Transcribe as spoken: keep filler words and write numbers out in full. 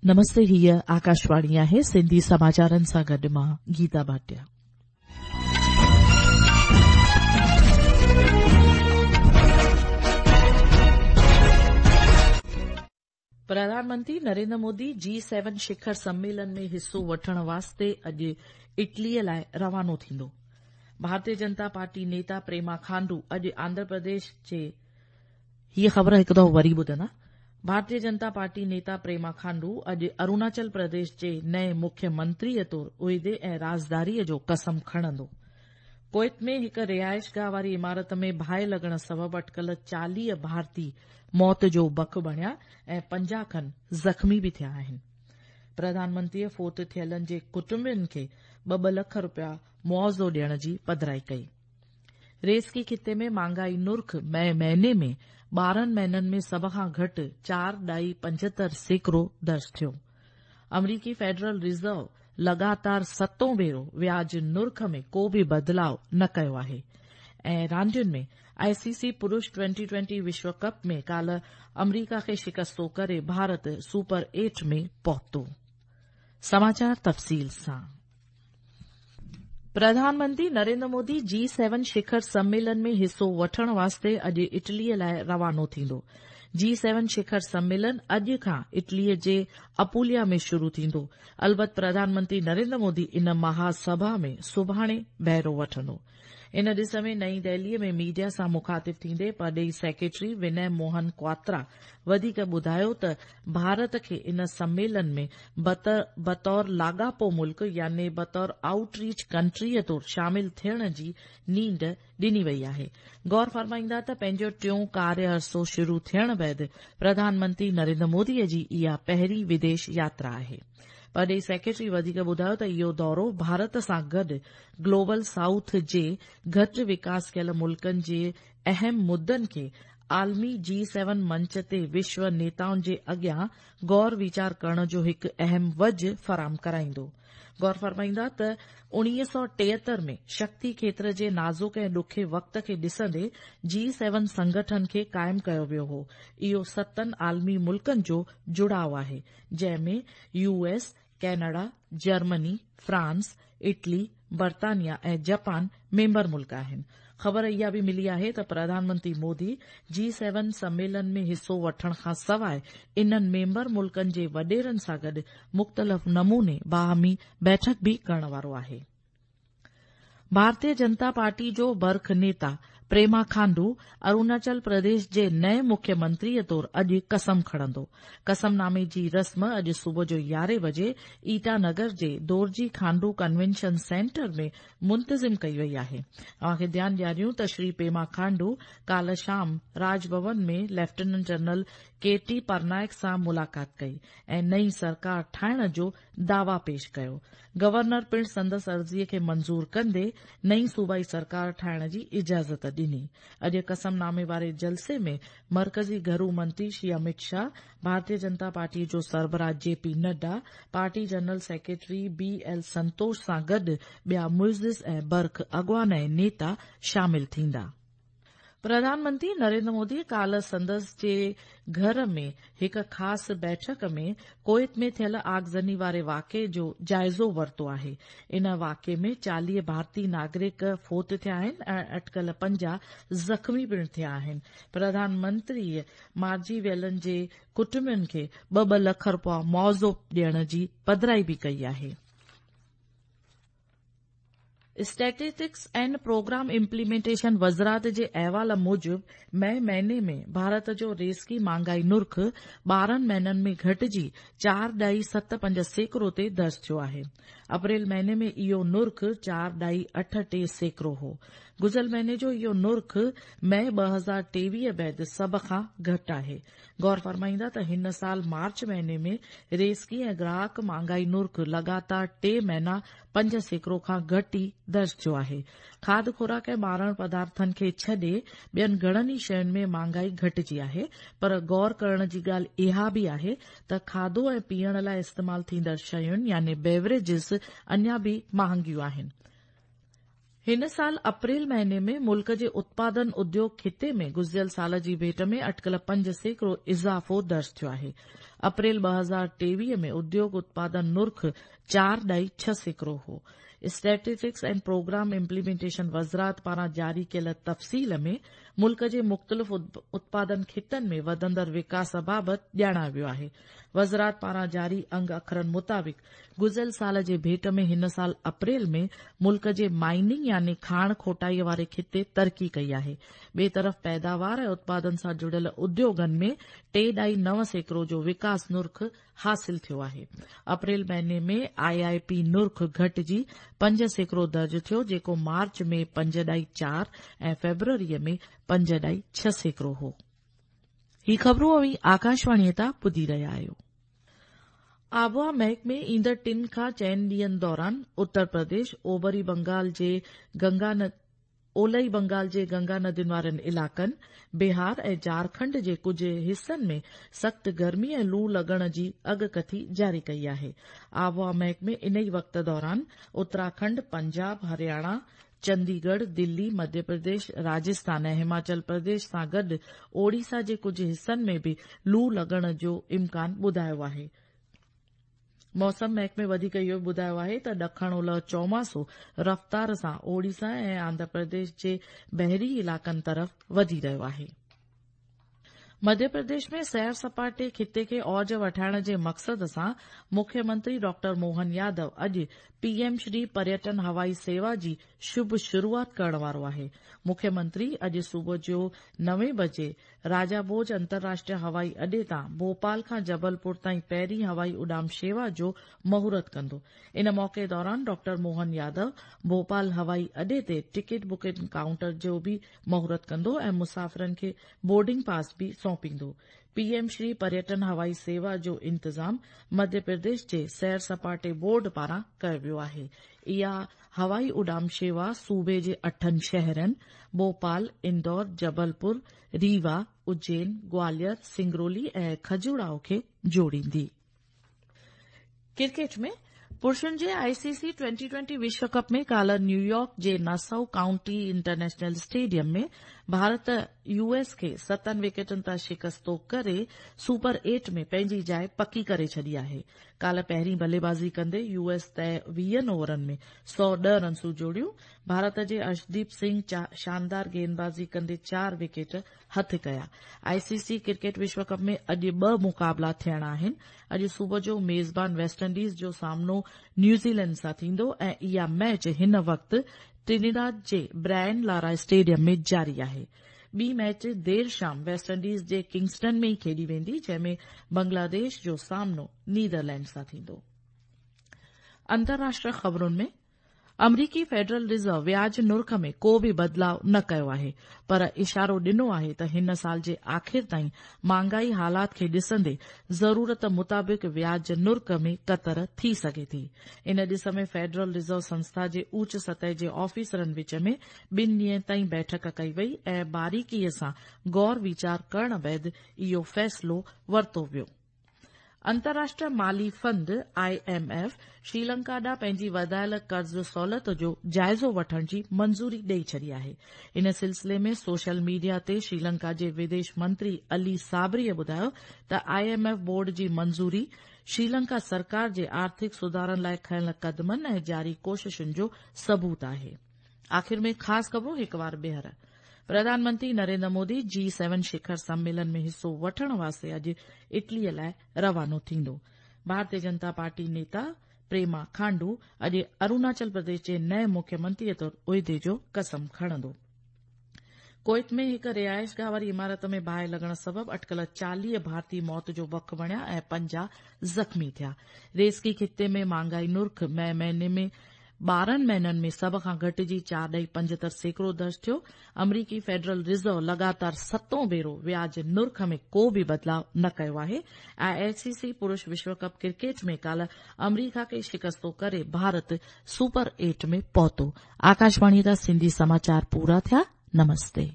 नमस्ते, हीअ आकाशवाणी आहे। सिंधी समाचारनि सां गॾु मां गीता भाटिया। प्रधानमंत्री नरेंद्र मोदी जी सेवन शिखर सम्मेलन में हिसो वठण वास्ते अॼु इटलीअ लाइ रवानो थींदो। भारतीय जनता पार्टी नेता प्रेमा खांडू अॼु आंध्र प्रदेश जे हीअ ख़बर हिकु दफ़ो वरी ॿुधंदा। भारतीय जनता पार्टी नेता प्रेमा खांडू अॼु अरुणाचल प्रदेश जे नए मुख्यमंत्रीअ तौरु उहिदे ऐं राज़दारीअ जो कसम खणंदो। कुवैत में हिकु रिहाइशगाह वारी इमारत में बाहि लॻण सबबु अटकल चालीह भारतीय मौत जो बक बणिया ऐं पंजाह खनि ज़ख़्मी बि थिया आहिनि। प्रधानमंत्रीअ फोत थियलनि जे कुटुंबनि खे ॿ ॿ लख रुपया मुआवज़ो ॾियण जी पधराई कई। रेसकी खिते में महांगाई नुर्ख मई महीने में ॿारहं महीननि में सभ खां घटि चार ॾाई पंजहतरि सैकड़ो दर्ज थियो। अमरीकी फेडरल रिज़र्व लगातार सतों भेरो व्याज नुर्ख में को बि बदिलाव न कयो आहे। ऐं रांदियुनि में आईसीसी पुरुष ट्वेंटी ट्वेंटी विश्व कप में काल्ह अमरीका खे शिकस्तो करे भारत सुपर एट में पहुतो। समाचार तफ़सील सां। प्रधानमंत्री नरेंद्र मोदी जी सेवन शिखर सम्मेलन में हिसो वठण वास्ते अॼु इटलीअ लाइ रवानो थींदो। जी सेवन शिखर सम्मेलन अॼु खां इटलीअ जे अपुलिया में शुरू थींदो। अलबत प्रधानमंत्री नरेंद्र मोदी इन महासभा में सुभाणे बहिरो वठंदो। इन ॾिस में नई दिल्लीअ में मीडिया सां मुखातिब थींदे परॾेही सेक्रेटरी विनय मोहन क्वात्रा वधीक ॿुधायो त भारत खे इन सम्मेलन में बतौर लाॻापो मुल्क यानी बतौर आउटरीच कंट्रीअ तौर शामिल थियण जी नींड ॾिनी वई आहे। गौर फरमाईंदा त पंहिंजो टियों कार्य अरसो शुरू थियण बाद प्रधानमंत्री नरेंद्र मोदीअ जी इहा पहिरीं विदेश यात्रा आहे। परॾेही सेक्रेटरी वधीक ॿुधायो त इहो दौरो भारत सां गॾु ग्लोबल साउथ जे घटि विकास कयल मुल्कनि जे अहम मुद्दनि खे आलमी जी सेवन मंच ते विश्व नेताउनि जे अॻियां गौर वीचार करण जो हिकु अहम वज फराहम कराईंदो। गौर फरमाईंदा त उणिवीह सौ टेहतरि में शक्ति खेत्र जे नाज़ुक ऐं ॾुखे वक़्त खे ॾिसंदे जी सेवन संगठन खे क़ाइमु कयो वियो हो। इहो सतनि आलमी मुल्कनि जो जुड़ाव आहे, जंहिं में U S, Canada, Germany, France, Italy, बर्तानिया ऐं जापान मेंबर मुल्क आहिनि। ख़बर इहा बि मिली आहे त प्रधानमंत्री मोदी जी सेवन सम्मेलन में हिसो वठण खां सवाइ इन्हनि मेंबर मुल्कनि जे वॾेरनि सां गॾु मुख़्तलिफ़ नमूने बाहमी बैठक बि करण वारो आहे। भारतीय जनता पार्टी जो बर्ख नेता प्रेमा खांडू अरुणाचल प्रदेश जे नए मुख्यमंत्रीअ तौरु अॼु कसम खणंदो। कसमनामे जी रस्म अॼु सुबुह जो यारहें बजे ईटानगर जे दोरजी खांडू कन्वेंशन सेंटर में मुंतज़िम कई वई आहे। अव्हांखे ध्यानु ॾियारियूं त श्री पेमा खांडू काल्ह शाम राजभवन में lieutenant general K T Parnaik सां मुलाक़ात कई ऐं नई सरकार ठाहिण जो दावा पेश कयो। गवर्नर पिणु संदसि अर्ज़ीअ खे मंज़ूर कंदे नई सूबाई सरकार ठाहिण जी इजाज़त ॾिनी। अॼु कसमनामे वारे जलसे में मरकज़ी घरू मंत्री श्री अमित शाह, भारतीय जनता पार्टी जो सरबराह J P Nadda, party general secretary B L Santosh सां गॾु ॿिया मुइज़िज़ ऐं बर्ख अॻवान ऐं नेता शामिल थींदा। प्रधानमंत्री नरेंद्र मोदी काल्ह संदसि जे घर में हिकु ख़ासि बैठक में कुवैत में थियल आगज़नी वारे वाक़िए जो जाइज़ो वरितो आहे। इन वाक़िए में चालीह भारतीय नागरिक फोत थिया आहिनि ऐं अटकल पंजाह ज़ख़्मी पिणु थिया आहिनि। प्रधानमंत्री मारिजी वियलनि जे कुटुंबनि खे ॿ ॿ लख रुपया मुआवज़ो ॾियण जी पधराई बि कई आहे। स्टैटिस्टिक्स एंड प्रोग्राम इम्प्लीमेंटेशन वज़ारत जे अहवाल मूजिबि मई महीने में भारत जो रेसकी महांगाई नुर्ख ॿारहं महीननि में घटिजी चार ॾाई सत पंज सैकड़ो ते दर्ज थियो आहे। अप्रैल महीने में इहो नुर्ख चार ॾाई अठ टे सैकड़ो हो। गुज़िरियल महीने जो इहो नुर्ख मई ॿ हज़ार टेवीह बाद सभ खां घटि आहे। गौर फरमाईंदा त हिन साल मार्च महीने में रेसकी ऐं ग्राहक महांगाई नुर्ख लगातार टे महीना पंज सैकड़ो खां घटि दर्ज थियो आहे। खाध खुराक ऐं ॿारण पदार्थनि खे छॾे ॿियनि घणनि ई शयुनि में महांगाई घटिजी आहे, पर गौर करण जी ॻाल्हि इहा बि आहे त खाधो ऐं पीअण लाइ इस्तेमाल थींदड़ शयुनि यानी बेवरेजिस अञा बि महांगियूं आहिनि। हिन साल अप्रैल महीने में मुल्क जे उत्पादन उद्योग खिते में गुज़िरियल साल जी भेंट में अटकल पंज सैकड़ो इज़ाफ़ो दर्ज थियो आहे। अप्रैल ॿ हज़ार टेवीह में उद्योग उत्पादन नुर्ख चार ॾाई छह सैकड़ो हो। स्टैटिस्टिक्स एंड प्रोग्राम इम्प्लीमेंटेशन वज़ारत पारां जारी कयल तफ़सील में मुल्क जे मुख़्तलिफ़ उत्पादन ख़ितनि में वधंदड़ विकास बाबति ॼाणायो वियो आहे। वज़ारत पारां जारी अंग अखरनि मुताबिक़ गुज़िरियल साल जे भेंट में हिन साल अप्रैल में मुल्क जे माइनिंग यानी खाण खोटाईअ वारे ख़िते तरक़ी कई आहे। ॿिए तरफ़ पैदावार ऐं उत्पादन सां जुड़ियल उद्योगनि में टे ॾाई नव सैकड़ो जो विकास नुर्ख हासिल थियो आहे। अप्रैल महीने में आई I P नुर्ख घटिजी पंज सैकड़ो दर्ज थियो, जेको मार्च में पंज ॾाई चार ऐं फ़ेब्रुअरीअ में पंज ॾाई छह सैकड़ो हो। ही ख़बरूं अव्हीं आकाशवाणीअ तां ॿुधी रहिया आहियो। आबहावा महकमे ईंदड़ टिनि खां चइनि ॾींहंनि दौरान उत्तर प्रदेश, ओभरी बंगाल जे गंगा ओलई बंगाल जे गंगा नदियुनि वारनि इलाइक़नि, बिहार ऐं झारखंड जे कुझु हिसनि में सख़्तु गर्मी ऐं लू लॻण जी अॻकथी जारी कई आहे। आबहावा महकमे इन ई वक़्त दौरान उत्तराखंड, पंजाब, हरियाणा, चंडीगढ़, दिल्ली, मध्य प्रदेश, राजस्थान ऐं हिमाचल प्रदेश सां गॾु ओडिशा जे कुझु हिसनि में बि लू लॻण जो इम्कान ॿुधायो आहे। मौसम महकमे वधीक इहो बि ॿुधायो आहे त ॾखण ओलह चौमासो रफ़्तार सां ओडिशा ऐं आंध्र प्रदेश जे बहिरी इलाइक़नि तरफ़ वधी रहियो आहे। मध्य प्रदेश में सैर सपाटे ख़िते खे औज वठाइण जे मक़सद सां मुख्यमंत्री डॉक्टर मोहन यादव अॼु पीएम श्री पर्यटन हवाई सेवा जी शुभ शुरूआत करण वारो आहे। मुख्यमंत्री अॼु सुबुह जो नवे बजे राजा भोज अंतर्राष्ट्रीय हवाई अॾे तां भोपाल खां जबलपुर ताईं पहिरीं हवाई उॾाम शेवा जो मुहूर्त कंदो। इन मौक़े दौरान डॉक्टर मोहन यादव भोपाल हवाई अॾे ते टिकट बुकिंग काउंटर जो बि मुहूर्त कंदो ऐं मुसाफ़िरनि खे बोर्डिंग पास बि सौंपींदो। पीएम श्री पर्यटन हवाई सेवा जो इंतज़ाम मध्य प्रदेश जे सैर सपाटे बोर्ड पारां कयो वियो आहे। इहा हवाई उॾाम शेवा सूबे जे अठनि शहरनि भोपाल, इंदौर, जबलपुर, रीवा, उज्जैन, ग्वालियर, सिंगरौली ऐं खजुराहो खे जोड़ींदी। क्रिकेट में पुरुषनि जे आईसीसी ट्वेंटी ट्वेंटी विश्व कप में काल्ह न्यूयॉर्क जे Nassau county international stadium में भारत यूएस खे सतनि विकेटनि तां शिकस्तो करे सुपर एट में पंहिंजी जाइ पकी करे छॾी आहे। काल्ह पहिरीं बल्लेबाज़ी कंदे यूएस तय वीहनि ओवरनि में सौ ॾह रनसूं जोड़ियूं। भारत जे अर्शदीप सिंह शानदार गेंदबाज़ी कंदे चार विकेट हथ कया। आईसीसी क्रिकेट विश्व कप में अॼु ॿ मुक़ाबला थियणा आहिनि। अॼु सुबुह जो मेज़बान वेस्ट इंडीज़ जो सामनो न्यूज़ीलैंड सां थींदो ऐं इहा मैच हिन वक़्तु ट्रिनिडाद जे ब्रायन लारा स्टेडियम में जारी आहे। ॿी मैच देरि शाम वेस्ट इंडीज़ जे किंगस्टन में ई खेॾी वेंदी, जंहिंमें बांग्लादेश जो सामनो नीदरलैंड सां थींदो। अंतर्राष्ट्रीय ख़बरुनि में अमरीकी फेडरल रिज़र्व व्याज नुर्ख में को बि बदिलाव न कयो आहे, पर इशारो ॾिनो आहे त हिन साल जे आख़िर ताईं महांगाई हालात खे ॾिसंदे ज़रूरत मुताबिक़ व्याज नुर्ख में कतर थी सघे थी। इन ॾिस में फेडरल रिज़र्व संस्था जे ऊच सतह जे ऑफिसरनि विच में ॿिनि ॾींहंनि ताईं बैठक कई वई ऐं बारीकीअ सां गौर वीचार करण बाद इहो फ़ैसिलो वरितो वियो। अंतर्राष्ट्रीय माली fund I M F Sri Lanka ॾांहुं पंहिंजी वधायल कर्ज़ सहूलियत जो जाइज़ो वठण जी मंज़ूरी ॾेई छॾी आहे। इन सिलसिले में सोशल मीडिया ते श्रीलंका जे विदेश मंत्री अली साबरीअ ॿुधायो त I M F board जी मंज़ूरी श्रीलंका सरकार जे आर्थिक सुधारनि लाइ खयिल क़दमनि ऐं जारी कोशिशुनि जो सबूत आहे। आख़िर में ख़ासि ख़बरूं हिकु वार ॿीहर। प्रधानमंत्री नरेंद्र मोदी जी सेवन शिखर सम्मेलन में हिसो वठण वास्ते अॼु इटलीअ लाइ रवानो थींदो। भारतीय जनता पार्टी नेता प्रेमा खांडू अॼु अरुणाचल प्रदेश जे नए मुख्यमंत्रीअ तौरु उहिदे जो कसम खणंदो। कुवैत में हिकु रिहाइशगाह वारी इमारत में बाहि लॻण सबबु अटकल चालीह भारतीय मौत जो वक़ बणिया ऐं पंजाह ज़ख़्मी थिया। रेस्की ख़िते में महांगाई नुर्ख मई महीने में ॿारहं महीननि में सभ खां घटिजी चार ॾही पंजहतरि सैकड़ो दर्ज थियो। अमरीकी फेडरल रिज़र्व लगातार सतों भेरो व्याज नुर्ख में को बि बदिलाव न कयो आहे। ऐं आईसीसी पुरुष विश्व कप क्रिकेट में काल्ह अमरीका खे शिकस्तो करे भारत सुपर एट में पहुतो। आकाशवाणी जा सिंधी समाचार पूरा थिया। नमस्ते।